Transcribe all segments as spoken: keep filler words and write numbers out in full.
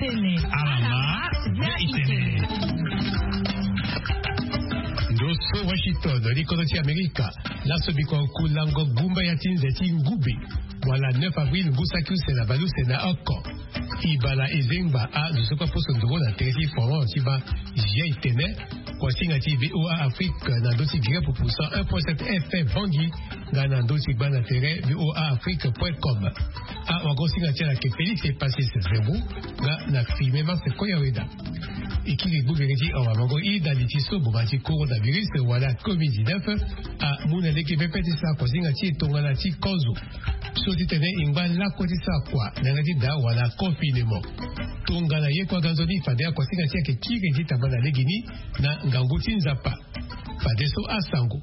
Alama ya itene. Ndo so Washington, likodo ti Amerika. Laso biko kulango gumba ya ti nze ti ngube, wala neuf avril ngu saki use na baleuse na oko. Ibala ezengba a zo so kue poso ndongo na tere ti forum ti ba jia itene. Kuasinga ti VOA Afrique na ndo ti gire pupu cent un point sept F M Bangui, nga na ndo ti gba na tere VOA Afrique point com. A wagosinga ti ala ke Félix Epasis Zembo, nga na filme Marcel Koyaweda. Ekiri gbogere ti awa mango ida li ti so boma ti coronavirus wala covid dix-neuf amu na lege pepe ti sara kuasinga ti e tongana ti kozo. So ti tene e ngba lakue ti sara kua na yanga ti daa wala confinement. Tongana ye kue aga nzoni fade akuasinga ti ayeke kiri ti tamba na legeni na ngangu ti Nzapa. Fadeso asango.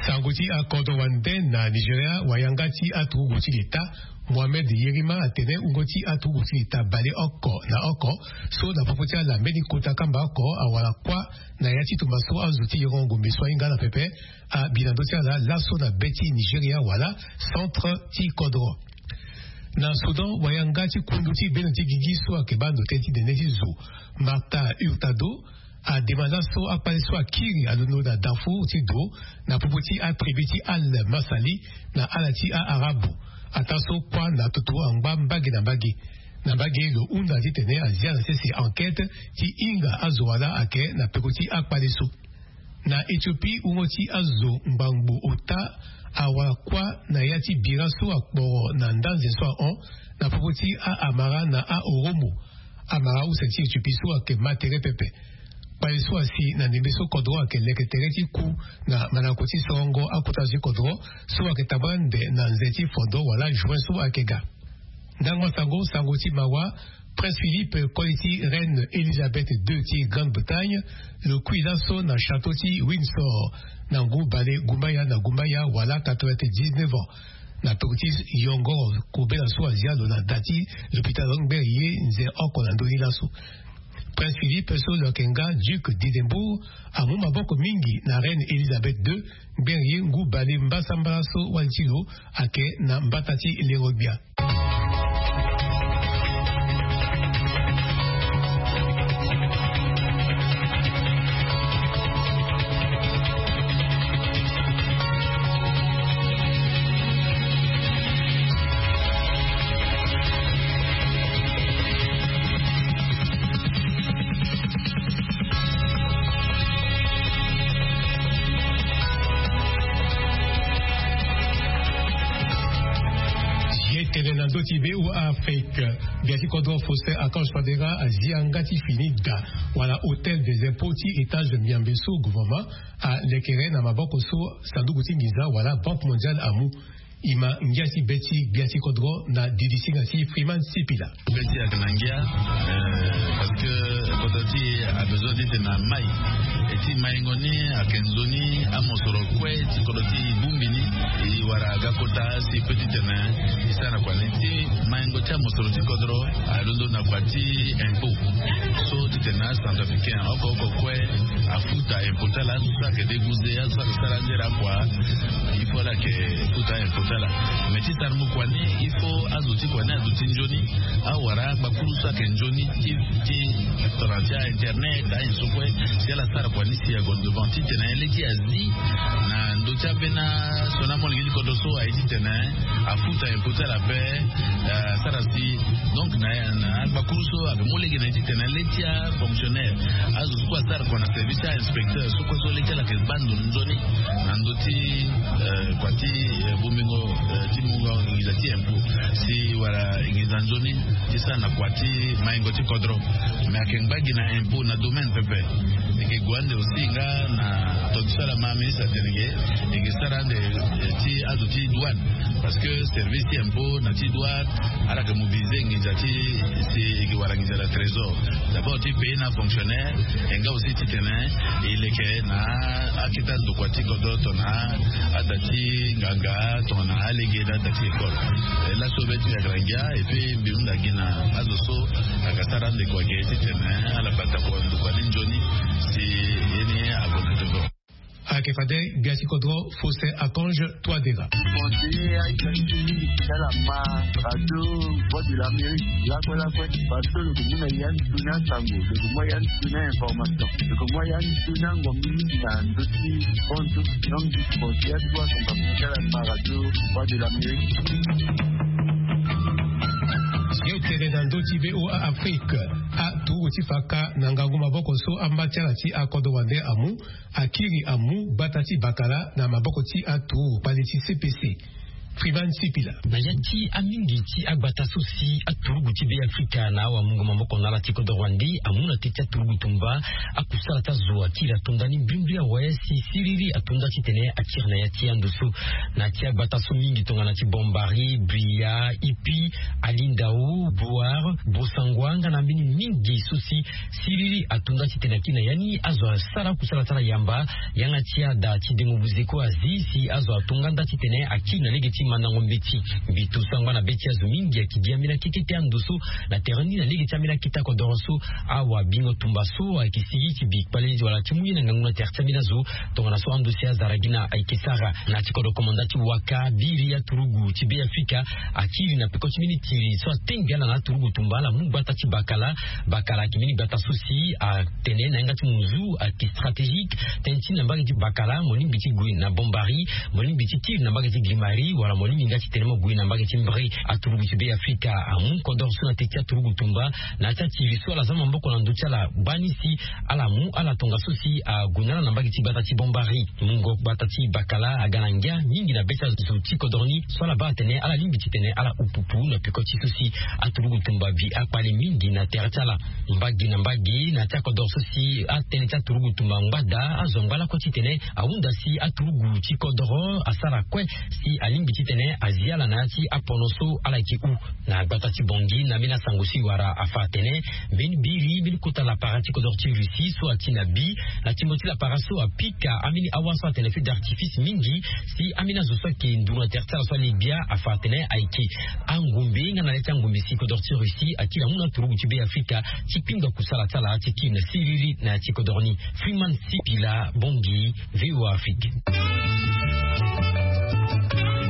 Sango ti akodro wande na Nigeria, wayanga ti aturugu ti leta Mohamed Yerima atene wungo ti aturugu ti leta bale oko na oko so na popo ti ala mbeni kota kamba oko awara kuâ na ya ti tumba so azo ti yoro ngombe so ahinga ala pepe abi na ndö ti ala laso na be ti Nigeria wala centre ti kodro. Na Soudan, wayanga ti kundu ti beno ti gigi so ayeke baa ndo tënë ti nene ti zo, Martha Hurtado, ademande laso akpale so akiri alondo na Darfour ti do na popo ti atribu ti Al Masali na ala ti a-Arabu. Ataa so kuâ na toto angba mbage na mbage. Na mbage lo hunda titene azia na sese enquête ti hinga azo wala ayeke na peko ti akpale so. Na Éthiopie, wungo ti azo ngbangbo ota awara kuâ na ya ti bira so akporo na ndanze so ahon na popo ti a-Amara na a-Oromo. Amara use ti Éthiopie so ayeke ma tere pepe. Kpale so asi na ndembe so kodro ayeke leke tere ti ku na mandako ti sorongo akota zo ti kodro so ayeke tambala nde na nze ti fondo wala juin so ayeke ga. Ndango sango, sango ti mawa, Prince Philippe, koli ti Reine Elisabeth deux ti Grande-Bretagne, lo kui laso na château ti Windsor na ngu bale gumbaya na gumbaya wala quatre-vingt-dix-neuf ans. Na tokua ti yongoro kobela so azia lo na da ti lopitalo ngbere ye nze oko na ndö ni laso. Prince Philippe so lo yeke nga Duc d'Édimbourg amu maboko mingi na Reine Elisabeth deux, ngbere ye ngu bale mbasambala so wali ti lo ayeke na mbata ti lero-gbia. Ye tene na ndö ti VOA Afrique, gbia ti kodro Faustin Archange Touadéra azia nga ti fini da wala hôtel des impôts ti étage Miambe so gouvernement alekere na maboko so sanduku ti nginza wala Banque Mondiale amu. E ma ngia ti be ti gbia ti kodro na didisinga ti Freeman Sipila. Be ti ayeke na ngia, eh, parce que kodro ti e abezoin ti tene na mai. E ti maingo ni ayeke nzoni amosoro kue ti kodro ti e bongbi ni. E wara aga kota si e peut ti tene e sara na kua ni ti maingo ti amosoro ti kodro alondo na kua ti impôt. So ti tene na acentrafricain oko oko kue afuta impôt ti ala, azo so ayeke déguisé, azo so ayeke sara nzere akua, il faut ala yeke futa impôt ti ala. Mais ti sara mu kua ni, il faut azo ti kua ni aduti nzoni, awara agbakuru so ayeke nzoni ti, ti tongana ti a-internet, ayen so kue, si ala sara kua ni si ague devant titene le ti azi na ndö ti ambeni asioni amolenge ti kodro so aye titene afuta impôt ti ala ape, eh, asara si. Donc na, na agbakuru so ayeke mu lege na ye titene le ti afonctionnaire, azo so kue asara kua na service ti a-inspecteur so kue so le ti ala ayeke baa ndo nzoni na ndö ti, eh, kua ti, eh, bongbingo, eh, ti mungo nginza ti impôt si wala nginza nzoni ti sara na kua ti maingo ti kodro. Mais ayeke ngba gi na impôt na domaine pepe. E ke gue ande aussi nga na tonga ti so ala ma ministre atene ge, e ke sara ande, eh, ti azo ti douane. Parce que service ti impôt na ti douane, ala yeke mobiliser nginza ti, si e ke wara nginza na trésor. D'abord ti payer na fonctionnaire, e nga aussi titene e leke na akete ndokua ti kodro tongana ada ti nganga, tongana alege na ada ti école. Eh, laso be ti ayeke na ngia, et puis mbi hunda gi na azo so ayeke sara ande kua ge titene ala bata kua ndokua ni nzoni si ye ni ague na devant. Ayeke fade gbia ti kodro Faustin Archange Touadéra. L'amérique lakue lakue, parce que lo ke mu na ya ni tuni asango, lo ke mu ya ni tuni ainformation, lo ke mu ya ni tuni angombi mingi na ndö ti kontu. Donc discours ya ti wasangambe ti ala na radio, voix de l'amérique. Yo tene na ndö ti VOA Afrique, aturugu ti faka na ngangu maboko so amba ti ala ti akodro wande amu, akiri amu gbata ti bakala na maboko ti aturugu kpale ti CPC. Frivan Sipila. Na ya ti amingi ti agbata so si aturugu ti Be Afrika na awamungo maboko na ala ti kodro wande amu na teti aturugu tumba, akusala ti azo akiri atonda ni mbrimbri awe si siriri atonda titene akiri na ya ti ando so. Na ti agbata so mingi tongana ti Bombari, Bria, Ipi, Alindao, Boar, Bosangwa nga na mbeni mingi so si siriri atonda titene akiri na ya ni azo asara kusala ti ala yamba. Yanga ti ada ti dengo buzeko azi si azo atonga nda titene akiri na lege ti mandango mbeti. Mbi to sangba na be ti azo mingi ayeke gi ambeni akete ti ando so na tere ni na lege ti ambeni akete akodoro so. Awa bingo tumba so ayeke sigi ti bi kpale wala ti mu ye na ngangu na tere ti ambeni azo. Tongana so ando si azara gi na ayeke sara na ti kodro komanda ti waka biri aturugu ti Be Afrika akiri na peko ti mbeni tiri so atengbi ala na aturugu tumba ala mu gbata ti bakala. Bakala ayeke mbeni gbata so si atene na yanga ti munzu ayeke stratégique. Tënë ti na mbage ti bakala mo lingbi ti gue na Bombari, mo lingbi ti kiri na mbage ti Grimari wala mo lingbi nga ti tene mo gue na mbage ti Mbre. Aturugu ti Be Afrika amu kodoro so na teti aturugu tumba na ya ti atiri so ala za maboko na ndö ti ala gbani si ala mu ala tongaso si ague na ala na mbage ti gbata ti Bombari. Mungo gbata ti bakala aga na ngia mingi na be ti azo ti kodoro ni so ala baa atene ala lingbi titene ala upupu na peko ti so si aturugu tumba bi akpale mingi na tere ti ala. Mbage na mbage na ti akodoro so si atënë ti aturugu tumba ngbada azo angba lakue titene ahunda si aturugu ti kodoro asara kue si alingbi titene azi ala na ya ti apono so ala yeke hu. Na gbata ti Bongi na mbeni asango so e wara afa atene mbeni biri mbeni kota lapara ti kodoro ti Russie so ati na bi na tingo ti lapara so apika ambeni awa so atene feu d'artifice mingi si ambeni azo so ayeke nduru na tere ti ala so alegbia afa atene ayeke angombe nga na le ti angombe si kodoro ti Russie akiri amu na aturugu ti Be Afrika ti kpingba kusala ti ala ti kiri na siriri na ya ti kodoro ni. Freeman Sipila, Bongi, VOA Afrique.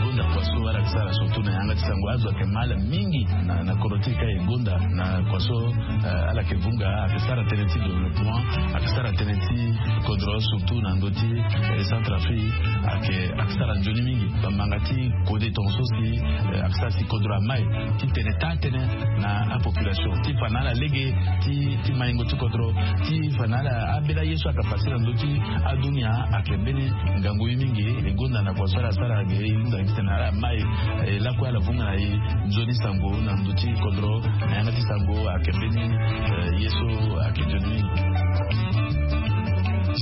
Gonda kua so ala yeke sara surtout na yanga ti sango azo ayeke mal mingi na na kodro ti e ka e gonda na kua so ala yeke vunga ayeke sara tënë ti développement ayeke sara tënë ti kodro surtout na ndö ti Centrafrique ayeke ayeke sara nzoni mingi. Bamanga ti kode tongaso si ayeke sara si kodro amai ti tene taa tënë na apopulation ti fa na ala lege ti maingo ti kodro ti fa na ala ambeni aye so ayeke pase na ndö ti adunia ayeke mbeni ngangu ye mingi. E gonda na kua so ala sara ge e hunda gi titene ala mai e lakue ala vunga na e nzoni sango na ndö ti kodro na yanga ti sango ayeke mbeni ye so ayeke nzoni mingi.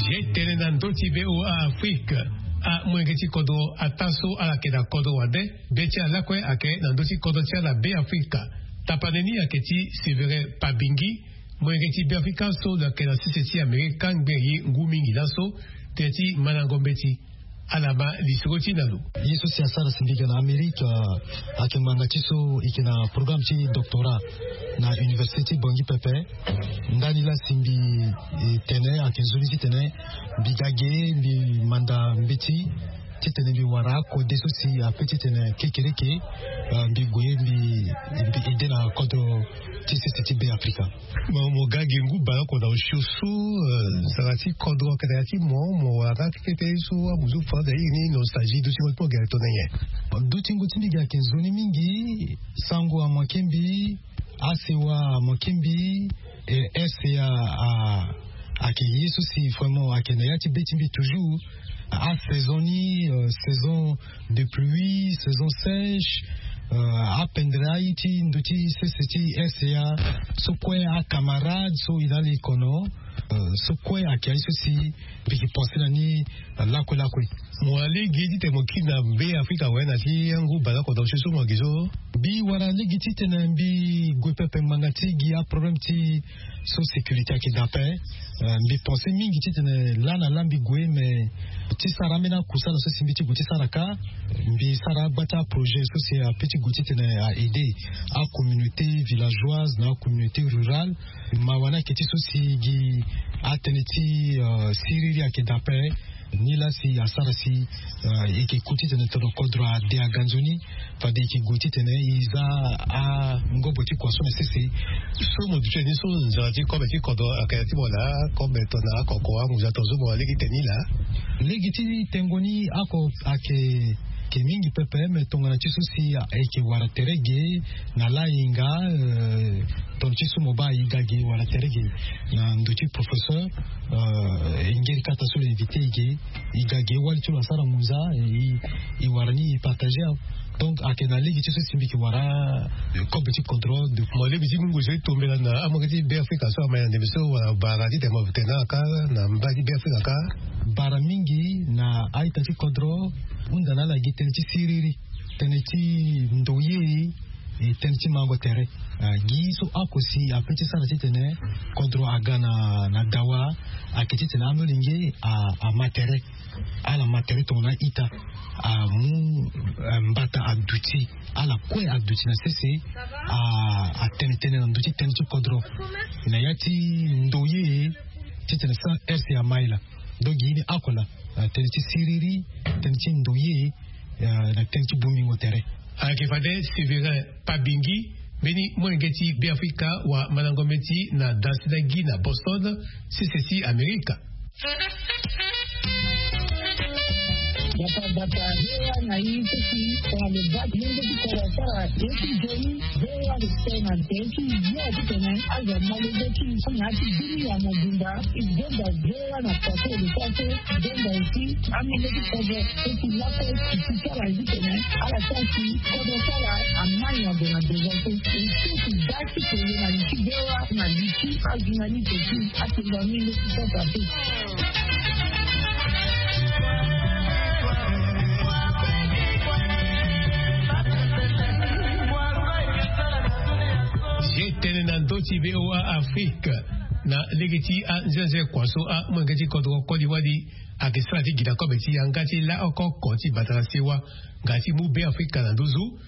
Ye tene na ndö ti VOA Afrique. Amolenge ti kodro ataa so ala yeke na kodro wande be ti ala lakue ayeke na ndö ti kodro ti ala Be Afrika. Tapane ni ayeke ti Sévérin Pabingi, molenge ti Be Afrika so lo yeke na sese ti Amerika ngbene ye ngu mingi laso. Tënë ti mandango mbeti. Ala ma lisoro ti na lo. Ye so si asara si mbi ga na Amerika ayeke ngbanga ti so e yeke na programme ti doctorat na université ti Bangui pepe. Ndani laa si mbi tene ayeke nzoni titene mbi ga ge mbi manda mbeti titene mbi wara akode so si ape titene kekereke mbi gue mbi mbi ede na kodro ti sese ti Be Afrika. Mo ga gi ngu baleoko na osio so nzara ti kodro ayeke na ya ti mo mo wara nga kekete so amuzu fa na iri ni nostalgie dutingo ti mo gere tongana nyen? Dutingo ti mbi gere ayeke nzoni mingi. Sango amanke mbi. Asewa amanke mbi. Rca ayeke ye so si vraiment ayeke na ya ti be ti mbi toujours. Asaison ni saison de pluie, saison sèche. Apendere aye ti ndö ti sese ti rca so kue acamarade so e na ala e kono so kue ayeke aye so si mbi yeke pense na ni lakue lakue. Mo wara lege titene mo kiri na Be Afrika awe na ti angu baleoko na osio so mo yeke so? Mbi wara lege titene mbi gue pepe ngbanga ti gi aproblème ti so sécurité ayeke daa ape. Mbi pense mingi titene laa na laa mbi gue mais ti sara ambeni akusala so si mbi ti gue ti sara kâ. Mbi sara agba ti aprojet so si ape ti gue titene a aider acommunauté villageoise na acommunauté rurale. Mawa ni ayeke ti so si gi atënë ti siriri ayeke daa ape. Ni laa si asara si e yeke ku titene tono kodro ade aga nzoni. Fade e yeke gue titene e za angobo ti kua so na sese. So mo duti ni so nzara ti kobe ti kodro ayeke na ya ti mo laa kobe tongana akoko anguza tongaso mo lege ti tene ni laa. Lege ti tengo ni oko ayeke mingi pepe me tongana ti so si e yeke wara tere ge na lahinga. Tongana ti so mo baa e ga ge wala tere ge na ndo ti professeur. E ngeri kata so lo invite e ge e ga ge wali ti lo asara ngunza. E wara ni e partager. Donc ayeke na lege ti so si mbi yeke wara kobe ti kodro. Mo lege ti mungo so e tombela na amolenge ti be afrika so ama na ndembe so wala bara titene mo tene na aka na mba ti be afrika ka. Bara mingi na a-ita ti kodro hunda na ala gi tënë ti siriri, tënë ti ndoye, e tënë ti mango tere. Gi so oko si ape ti sara titene kodro aga na dawa ayeke titene amolenge ama tere. Ala ma tere tongana a-ita amu mbata aduti ala kue aduti na sese. Atene tënë na ndö ti tënë ti kodro na ya ti ndoye titene sa rc ama ila. Donc gi ni oko laa tënë ti siriri, tënë ti ndoye na tënë ti bongbingo tere. Ayeke fade sévérin pabingi mbeni molenge ti beafrika wa mandango mbeti na dansi na gi na boston sese ti amerika. Bata bata hewa na ye ti si tongana lo baa ti yenge ti koro asara ye ti nzoni. Hewa lo tene na nze ti yo titene azo amolenge ti so na ya ti bini ya mobimba. E gonda hewa na kua so lo sara so. E gonda aussi amolenge ti kodro so ti lakue ti ti sara ye titene ala sara si kodro sara amai na ndo na devant so. E so ti baa ti tene na li ti hewa na li ti ajournaliste ti atinga mingi ti sasa te. Ye tene na ndö ti voa afrique na lege ti anzenze kua so amolenge ti kodro koli wali ayeke sara ti gi na kobe ti yanga ti la oko oko ti bata na sewa nga ti mu be afrika na nduzu.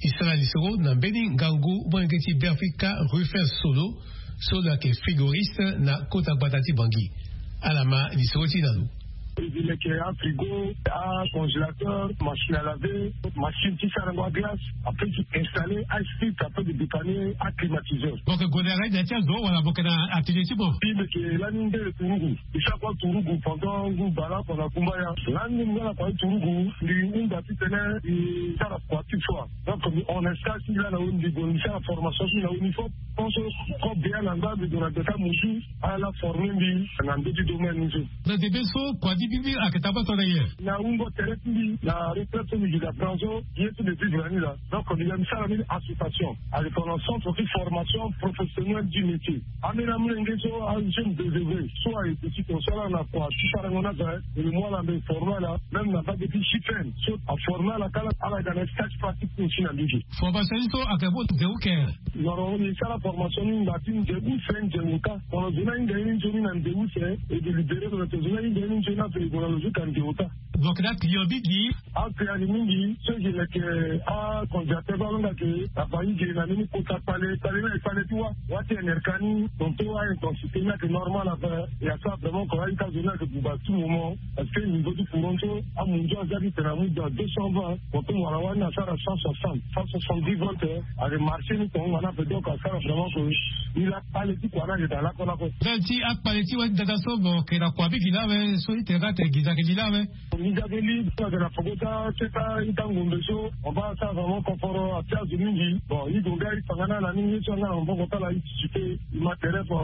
E sara lisoro na mbeni ngangu molenge ti beafrika rufin solo so lo yeke frigoriste na kota gbata ti bangi. Ala ma lisoro ti na lo. E leke afrigo, acongélateur, machine à laver, machine ti sarango aglace. Après ti installer ice fit après de dépanner aclimatiseur. Boke gonde aga ida ti azo wala boke na atelier ti mo? Mbi leke lani nde turugu. Mbi sara kua turugu pendant ngu bala pendant kumba ya. Lani nde mbi nga na kua ti turugu mbi hunda titene mbi sara kua ti foi. Donc mbi hon na stage ti mbi laa na weni mbi gue mbi sara formation ti mbi na weni fop. Tant so kobe ya na nda mbi gue na deta mosu ala forme mbi na ndö ti domaine ni so. Na debe so kua ti mbi mbi ayeke tabata na nyen? Na wungo tere ti mbi na retraite so mbi gi na grand so ye so mbi vivre na ni laa. Donc mbi ga mbi sara mbeni association ayeke tongana centre ti formation professionnelle du métier. Ambeni amolenge so ajeune désœuvré so aye ti si ton so ala na kua ti sarango ni aza. E le mu ala mbe forme ala même na mbage ti chipene so aforme ala kala ala ga na stage pratique ni aussi na mbage. Formation ni so ayeke mu nze wu ke? Noro e sara formation ni nda ti nze use nze ota. Tongana zo ni ahinga ye ni nzoni na nze use e de libere lo na tongana zo ni ahinga ye ni nzoni ape e gue na lo zo ka nze ota. Donc na client mingi. Aclient ni mingi so e yeke leke acongélateur so alonga ke na bangi ge na mbeni kota kpale kpale na ekpale ti wa wa ti enerka ni. Tonton aintensité ni ayeke normal ape. E asara vraiment ko aita zo ni ayeke buba tout moment. Parce que niveau ti courant so amunzu aza ti tene amu dans deux cent vingt. Tonton wala wani asara cent soixante, cent soixante-dix volts. Ayeke marché ni tongo nga ni ape donc asara vraiment ko. Ni la kpale ti kua ni ayeke daa lakue lakue. Daa ti akpale ti wa ti dada so mo yeke na kua mingi laa awe so ti tene nga atene gi zia yeke li laa awe. Nginza be li so ayeke na poko ti aketa ita ngombe so mo baa asara vraiment konforo atia azo mingi. Bon i gue nga i fa nga na ala ni nyen so nga na maboko ti ala i titi te. I ma tere fo.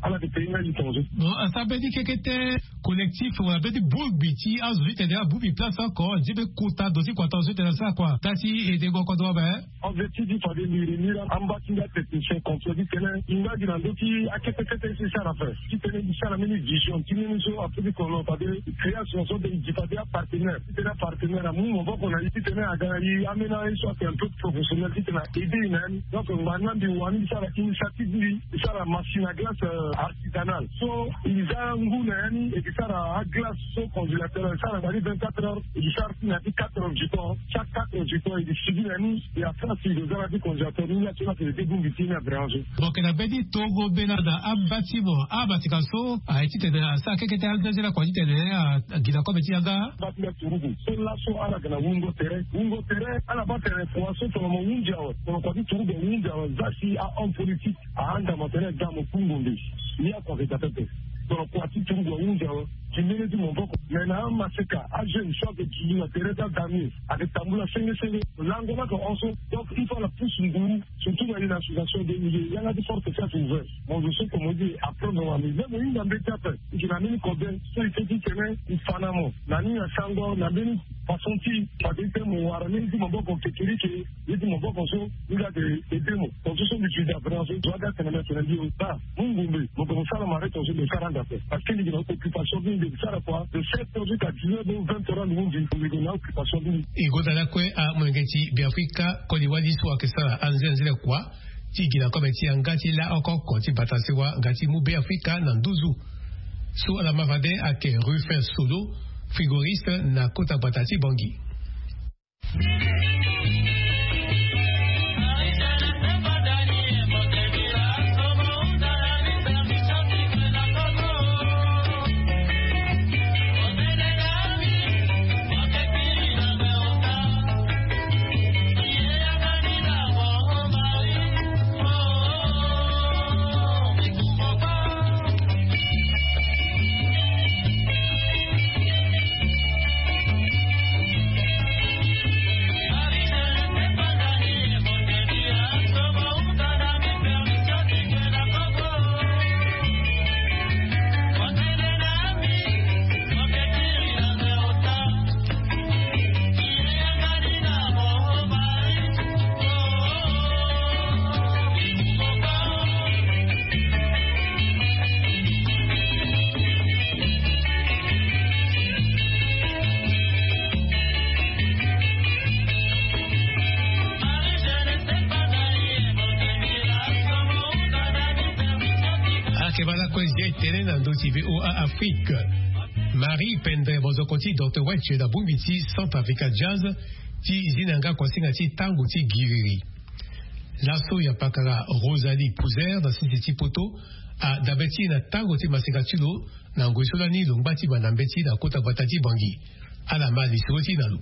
Ala yeke peye nga i tongaso. Bon asara mbeni kekete collectif wala mbeni bongbi ti azo so ti tene abongbi place oko nzia be kota ndo ti kua tongaso ti tene asara kua taa ti edengo kodro ape. Objectif ti fade mbi remi la amba ti nga technicien complet ti tene i nga gi na ndö ti akete kete ti sara ape. Ti tene mbi sara mbeni vision ti mbeni so ape ti kono fade création so de i gi fade. Partenaire titene apartenaire amu maboko na ye titene aga na ye amena ye so ake un peu professionnel titene aide ye na yani. Donc ngba ni na mbi wani mbi sara initiative mbi mbi sara machine à glace artisanale so mbi za ngu na yani e mbi sara aglace so congélateur e sara ngba ni vingt-quatre heures e mbi sara ti na ti quatre heures du temps. Chaque quatre heures du temps e mbi subi na yani. Ya France e mbi za na ti congélateur ni ya so na tene te bongbi ti ni abrange. Bon ke na be ti togo be na na abâtiment abâtiment so aye titene asara kekete alzenzela kua titene agina kobe ti yanga. Bâtiment turugu so laso ala ga na wungo tere wungo tere ala bâ tere kua so tongana mo hunzi awe tongana kua ti turugu ahunzi awe za si ahomme politique ahanda mo tere ga mo kungo nde. Ni akua ke ga pepe tongana kua ti turugu ahunzi awe. Ti mbeni ti maboko me na amaseka ajeune so ake kili na tere ti adamie ake tambula senge senge. Lango lake hon so donc il faut ala pusu nguru. Surtout na ye na association de milieu yanga ti force ti ake ouvert. Mo zo so comme on dit apprendre wa mi ve mo hinga mbeti ape. Ike na mbeni kobe so ike ti tene ifa na mo na ni na sango na mbeni façon ti fade ite mo wara mbeni ti maboko kekerike. Ye ti maboko so ni ga de ede mo. Tonso so mbi ti da vraiment so zo aga tene na tene mbi o ta. Mungu mbi mo ko mo sara mare tonso mbi sara anda pe parce que mbi na occupation mbi mbi sara kua de sept heures jusqu'à dix heures donc vingt heures mbi mbi mbi na occupation mbi. E gonda lakue amolenge ti beafrika koli wali so ayeke sara anzenzele kua ti gi na kobe ti yanga ti la oko oko ti bata sewa nga ti mu beafrika na nduzu. So ala ma fade ayeke Rufin Solo, frigoriste na kota gbata ti Bangui. Ake bala kue zi etene na ndo ti VOA Afrique. Marie Pendre bozoko ti Docteur Wetch na bongbi ti Centre Africa Jazz ti zi na yanga kuasinga ti tango ti giriri. Laso ya pakara Rosalie Pouzer na sese ti poto adabe ti e na tango ti maseka ti lo na ngoi so lani lo ngba ti banda mbeti na kota gbata ti Bangui. Ala ma lisoro ti e na lo.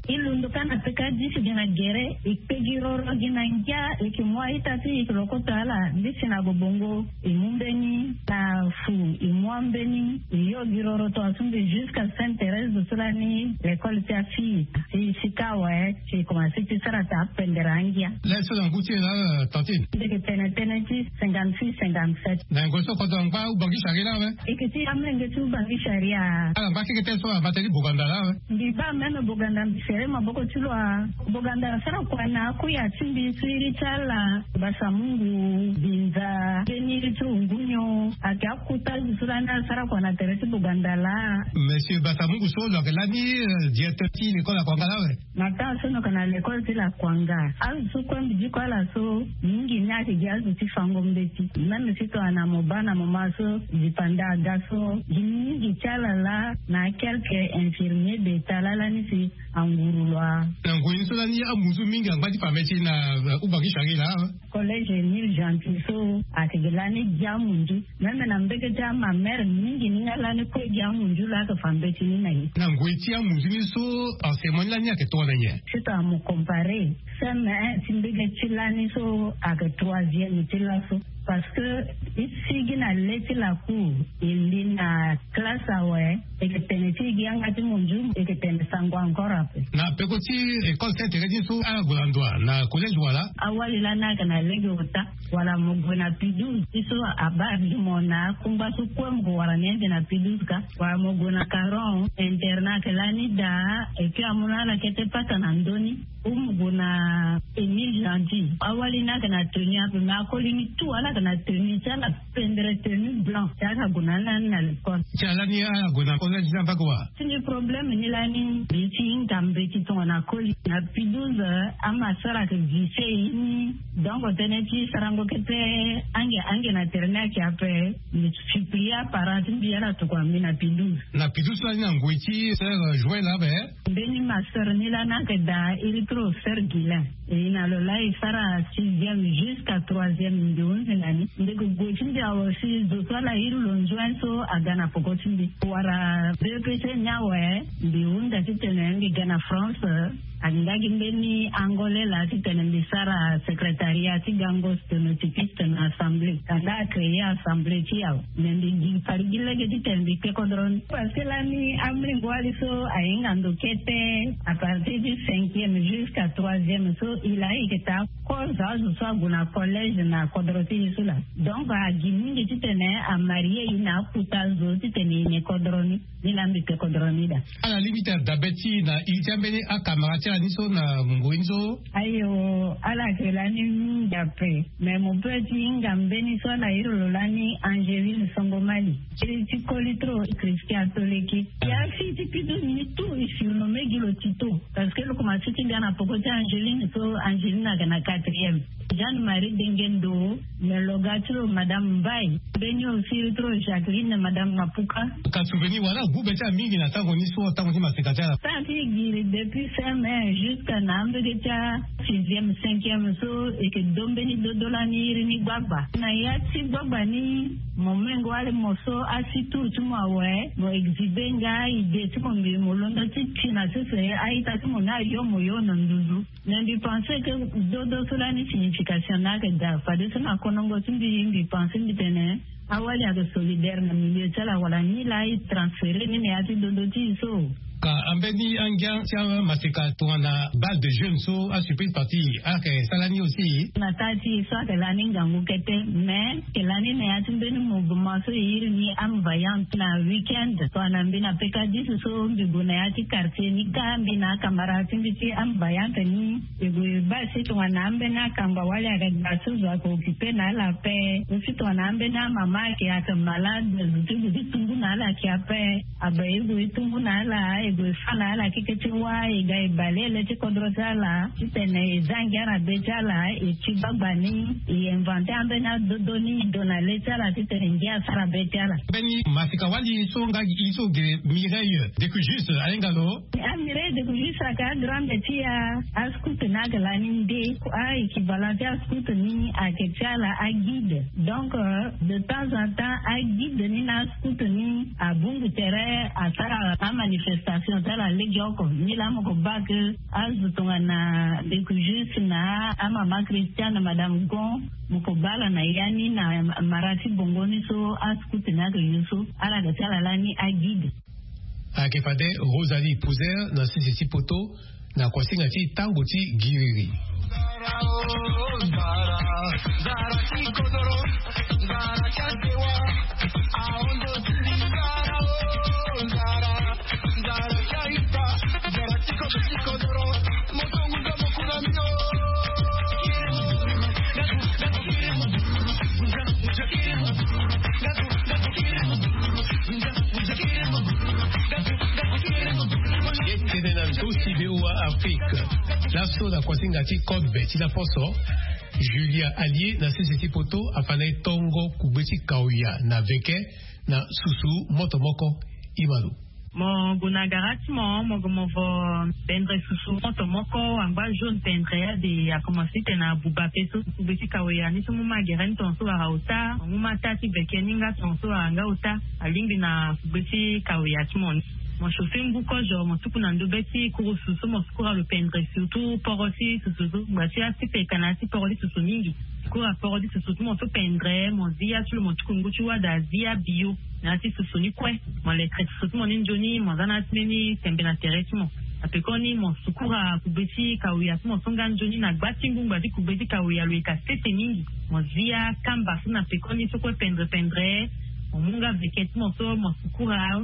E londo ka na peka disi gi na gere e kpe gi roro gi na ngia e yeke mu a-ita ti e e yeke lokoto ala disi na bobongo. E mu mbeni na fu e mu ambeni e yo gi roro tongaso mbi jusqu'à Sainte Thérèse so lani l'école ti afille. Si sika awe si e komanse ti sara taa pendere angia. Laso na ngu ti e laa tantine? Ndeke tene tënë ti cinquante-six cinquante-sept. Na yango so kodro angba ubangi charia laa awe? Eke ti amenge ti ubangi charia. Ala ngba keke tënë so abata ti boganda laa awe? Mbi baa même boganda mbi sere maboko ti lo a. Boganda asara kua na akuya ti mbi so iri ti ala. Basamungu, binza, mbeni ti ungunyo ake akuta azo so lani asara kua na tere ti boganda laa. Monsieur basamungu so lo ayeke lani directeur ti lekole akuanga laa awe? Na temps so noka na lekole ti lakuanga azo so kue mbi diko ala so mingi ni ayeke gi azo ti fango mbeti même si tongana mo baa na moma so dipanda aga so gi mingi ti ala laa na quelque infirmier d'etat laa lani si anguru lo a. Na ngoi ni so lani amuzu mingi angba ti fa meti na ubangi charie laa. Collège Emile Gentil so ayeke gi lani gi amunzu. Même na mbege ti amamere mingi ni nga lani kue gi amunzu laa ayeke fa mbeti ni na ye. Na ngoi ti amunzu ni so enseignement ni lani ayeke tongana nyen? Sito amo compare seme ti mbege ti lani so ayeke troisième ti laso. Parce que e sigi na le ti lacour e li na classe awe. Eke tene ti gi yanga ti monzu eke tene sango encore ape. Na peko ti école saint thérèse ti so ala gue na ndo wa na collège wala? Awali lani ayeke na lege ota. Wala mo gue na pidouze ti so abaa gi mo na akungba so kue mo ko wara ni ande na pidouze ka. Wala mo gue na caron internat ayeke lani daa. Eke amu na ala kete pata na ndö ni. Ou mo gue na Émile Gentil, awali ni ayeke na tenue ape, mais akoli ni tout ala yeke na tenue ti ala, pendre tenue blanc ti ala gue na ala ni na l'école. Ti ala ni ala gue na collège ni ambako wa? Ti ni problème ni lani mbi ti hinga mbeti tongana koli na P douze. Ama sara ayeke vise ye ni. Donc tënë ti sarango kete, ange ange na tere ni ayeke ape. Mbi supplie aparent ti mbi ala tokua mbi na P douze. Na P douze lani na ngoi ti sœur Joël ape. Mbeni ma sœur ni lani ayeke daa iri ti lo sœur Guilain. E na lo laa e sara sixième jusqu'à troisième, mbi hunzi na ni. Ndeke gue ti mbi awe si zo so ala iri lo nzuen so aga na poko ti mbi. Wala B E P C ni awe, mbi hunda titene mbi ga na France. Ayeke nga gi mbeni Angolais laa titene mbi sara secrétariat ti gango sténotypiste na assemblée. Kanda acréer assemblée ti e awe. Mais mbi gi fari gi lege titene mbi kpe kodro ni. Parce que lani amolenge wali so ahinga ndo kete, à partir du cinquième jusqu'à troisième so, e laa e yeke taa kozo azo so ague na collège na kodro ti e so laa. Donc agi mingi titene amarie e na akuta zo titene e ne kodro ni. Ni laa mbi kpe kodro ni daa. Ala lingbi ti dabe ti e na iri ti ambeni akamara ti ala ni so na ngoi ni so? Ayo, ala yeke lani mingi ape. Mais mo peut ti hinga mbeni so ala iri lo lani Angeline Songomali. Iri ti koli trop, Christian Toleki. Ya fille ti P douze ni tout e surnommé gi lo Tito. Parce que lo komanse ti ga na poko ti Angeline so, Angeline ayeke na quatrième. Jeanne Marie Dengendo, mais lo ga ti lo Madame Mbaye. Mbeni aussi iri ti lo Jacqueline, Madame Mapuka. Ka souvenir wala agu be ti ala mingi na tango ni so, tango ti maseka ti ala. Tango ti e giri depuis C M un jusqu'à na ambege ti asixième, cinquième so, e yeke do mbeni dodo lani iri ni gbagba. Na ya ti gbagba ni, mo mengo wali mo so asi tour ti mo awe, mo exhiber nga idée ti mo, mbi mo londo ti ti na sese a-ita ti mo ni ayo mo yo na nduzu. Mais mbi pense que dodo so lani signification ni ayeke daa. Fadeso na konongo ti mbi, mbi pense mbi tene awali ayeke solidaire na milieu ti ala, wala ni laa e transférer ni na ya ti dodo ti e so. Ka ambeni angia ti amaseka tongana bal de jeune so asurprise parti ayeke sara ni aussi? Na taa ti e so ayeke lani ngangu kete, mais e lani na ya ti mbeni mouvement so e iri ni Âme Vaillante na week-end. Tongana mbi na P K dix so mbi gue na ya ti quartier ni kâ, mbi na akamara ti mbi ti Âme Vaillante ni, e gue e baa si tongana ambeni akamba wali ayeke ga so zo ayeke occupé na ala ape. Aussi tongana ambeni amama ayeke, ayeke malade, zo ti gue ti tumbu na ala ayeke ape. Abe e gue e tumbu na ala, e gue e fâ na ala keke ti wâ, e ga e bale ele ti kodro ti ala titene e zia ngia na be ti ala. E ti gbagba ni e inventer ambeni adodo ni e do na le ti ala titene ngia asara be ti ala. Mbeni maseka wali so nga gi e so gere Mireille Decujus ahinga lo. A Mireille Decujus ayeke agrande ti a, ascout ni ayeke lani nde. A-équivalent ti ascout ni ayeke ti ala aguide. Donc de temps en temps aguide ni na ascout ni abungu tere asara amanifestation ti ala legeoko. Ni laa mo ko baa ke azo tongana Decujus na amama Christiane, Madame Gon, mo ko baa ala na ya ni na mara ti bongo ni so ascout ni ayeke yo so. Ala ga ti ala lani aguide. Ayeke fade Rosalie Pouzer na sese ti poto na kuasinga ti tango ti giriri. Tene na ndosi V O A Afrique. Laso na kuasinga ti kobe ti laposo, Julia Alie na sese ti poto afa na e tongo kugbe ti kawia na veke na susu moto moko. Imalo. Mo gue na gara ti mo, mo gue mo vo pendre susu moto moko angba jaune pendre ade akomanse titene abuba pe so. Kugbe ti kawia ni so mo ma gere ni tonga so wara ota, mo ma taa ti veke ni nga tonga so wara nga ota. Alingbi na kugbe ti kawia ti mo ni. Mo chauffer ngu kozo, mo tuku na ndo be ti kurusu so mo sukura lo pendre, surtout poro ti susu so. Ngba ti asi peka na ya ti poro ti susu mingi. Sukura poro ti susu ti mo so pendre, mo zia ti lo, mo tuku ngu ti wada zia bio na ya ti susu ni kue. Mo lekere susu ti mo ni nzoni, mo za na ya ti mbeni tembe na tere ti mo. Na pekoni mo sukura kugbe ti kawia ti mo so nga nzoni na gba ti ngu ngba ti kugbe ti kawia lo yeka sese mingi. Mo zia kamba so na pekoni so kue pendre pendre. Mo mu nga veke ti mo so mo sukura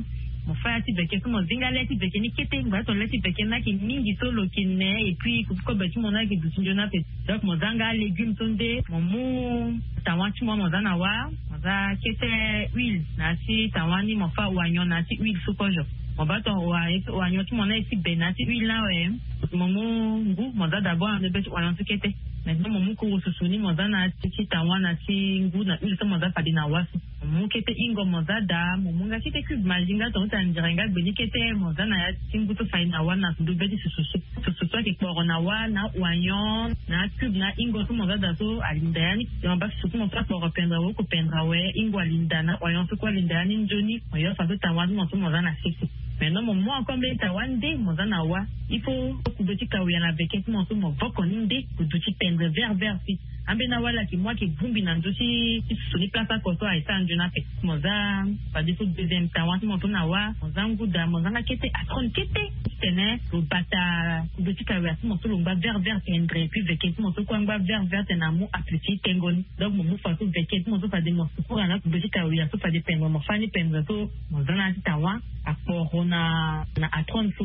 Mo fa ya ti veke so mo zinga le ti veke ni kete, ngba so le ti veke ni ayeke mingi so lo yeke ne, et puis kobe ti mo ni ayeke duti nzoni ape. Donc mo za nga alégume so nde, mo mu tawa ti mo, mo za na wa, mo za kete huile na ya ti tawa ni, mo fa oignon na ya ti huile so kozo. Mo baa tongana oignon ti mo ni aye ti be na ya ti huile ni awe, mo mu ngu mo za d'abord na ndö be ti oignon so kete. Maintenant mo mu kuru susu ni mo za na ya ti tawa na ya ti ngu na huile so mo za fade na wa so. Mo mu kete hingo mo za daa, mo mu nga kete cube Maggi nga tonga ti anzere nga gbe ni kete mo za na ya ti ngu so fade na wa na ndö be ti susu so. Susu so ayeke kporo na wa na oignon na cube na hingo so mo za daa so alinda ya ni. Mo baa susu ti mo so akporo pendere, awoko pendere awe, hingo alinda na oignon so kue alinda ya ni nzoni. Mo yo fadeso tawa ti mo so mo za na sese. Maintenant mo mu encore mbeni tawa nde mo za na wa. Il faut kube ti kawia na veke ti mo so mo voko ni nde, kudu ti pendere vert vert si. Ambeni awa ala yeke mu ayeke bongbi na ndö ti susu ni place oko so aye sara nzoni ape. Mo za fadeso deuxième tawa ti mo so na wa, mo za ngu daa, mo za nga kete atrone kete. Titene lo bata kube ti kawia ti mo so lo ngba vert vert tendre, et puis veke ti mo so kue angba vert vert tene amu appétit ti tengo ni. Donc mo mu fadeso veke ti mo so fade mo sukura na kube ti kawia so fade pendere, mo fa ni pendere so mo za na ya ti tawa akporo na, na atrone so.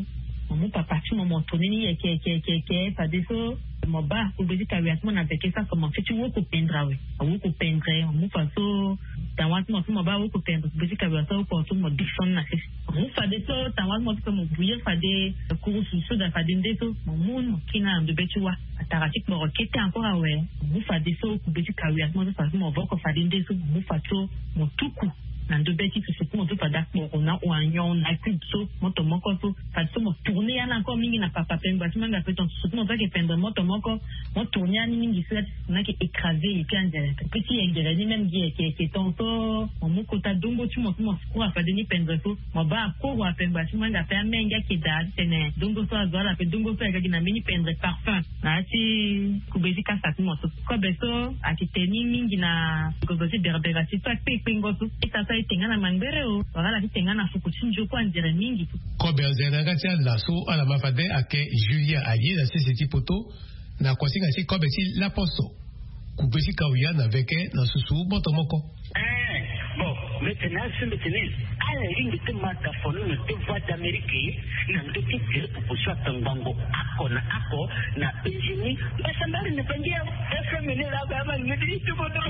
Mo mu papa ti mo, mo tourner ni yeke yeke yeke yeke fadeso mo baa kube ti kawia ti mo na veke so akomanse ti woko pendere awe. Awoko pendere, mo mu fadeso tawa ti mo so mo baa awoko pendere, kube ti kawia so awoko so mo descendre na sese. Mo mu fadeso tawa ti mo so mo bouillir fade kuru susu so daa fade nde so mo mu ni mo kiri nga na ndö be ti wa. Atara ti kporo kete encore awe. Mo mu fadeso kube ti kawia ti mo so fadeso mo voko fade nde so mo mu fadeso mo tuku na ndö be ti susu ti mo so fade akporo na oignon na cube so moto moko so. Fadeso mo tourner ya ni encore mingi na papa pengua ti mo nga ape tonga susu ti mo so ayeke pendere moto moko. Mo tourner ya ni mingi so ya ti susu ni ayeke écraser et puis anzere ape ti yengere ni même gi yeke yeke tonga so mo mu kota dongo ti mo so mo sukura fade ni pendere so. Mo baa akoro apengua ti mo nga ape amenge ayeke daa titene dongo so azo ala ape dongo so ayeke gi na mbeni pendere parfum. Na ya ti kube ti kasa ti mo so. Kobe so ayeke tene ni mingi na ngonzo ti berbera ti so akpe kpengo so. Ita so aye te nga na mangbere o, wala ala ti te nga na fuku ti nzoko anzere mingi. Kobe anzere na yanga ti ala so ala ma fade ayeke Julia aye na sese ti poto. Na kuasinga ti kobe ti laposo. Kube ti kawia na veke na susu moto moko. Eh, bon, mete na asu mete ni. Ala ringi ti ma tafono na te voix d'Amérique na ndö ti tere proposition atangbango ako na ako na Eugénie. Mbasambari na bangi ya F M ni la ba ma ni ti bodo.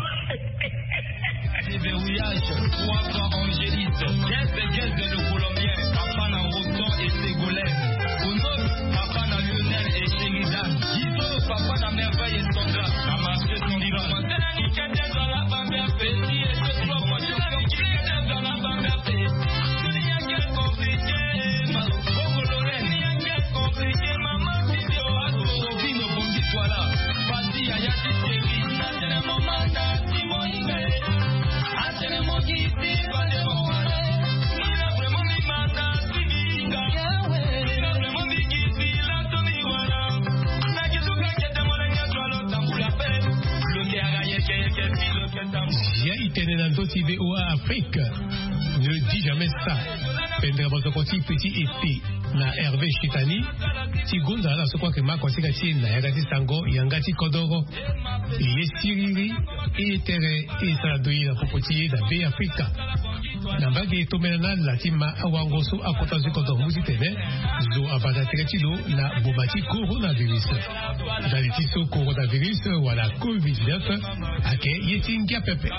Verrouillage, trois fois Angélite, Guest, Guest le Colombien, papa na Roton et Ségolène, Konos, papa na Lionel et Sheridan, Guido, papa na Merveille et Sandra, na marché Sandra. Ya itene na ndö ti V O A Afrique. Ne dis jamais ça. Pendere bosoko ti petit ete na Hervé Chitani ti gonda ala so kue ayeke ma kuasinga ti e na yanga ti sango yanga ti kodoro. Ye siriri, ye tere, ye sara doye na popo ti ye na Be Afrika. Na mbage e tombela na ala ti ma awango so akota zo ti kodoro mu titene zo abanda tere ti lo na boma ti coronavirus. Ndali ti so coronavirus wala covid dix-neuf ayeke ye ti ngia pepe.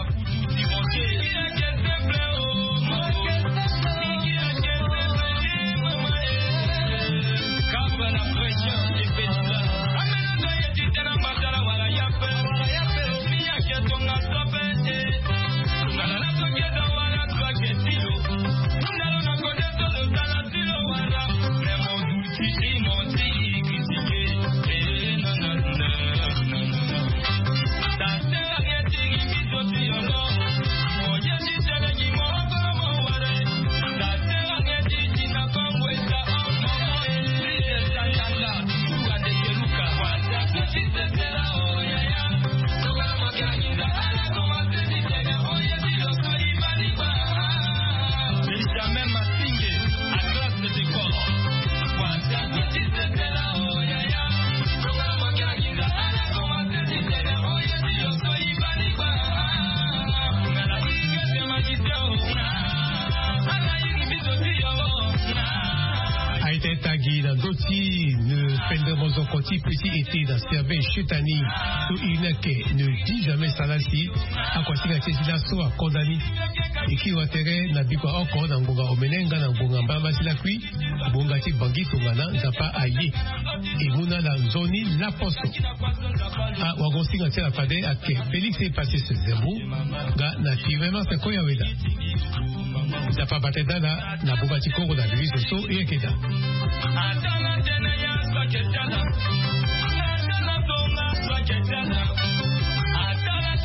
Ti petit été na serbe chetani. So iri ni ake ne dit jamais salasi. Akua ti na keti laso akodani. Eki watere na bikua oko na ngonga omene nga na ngonga mbala mbasi lakui. Bonga ti bangi tongana nzapa aye. Emuna na nzoni laposo. Awagonsinga ti ala fade ake félix epasis zembu. Nga na tirema seko ya weda. Nzapa bate dala na buba ti kongo na virus so e yeke daa.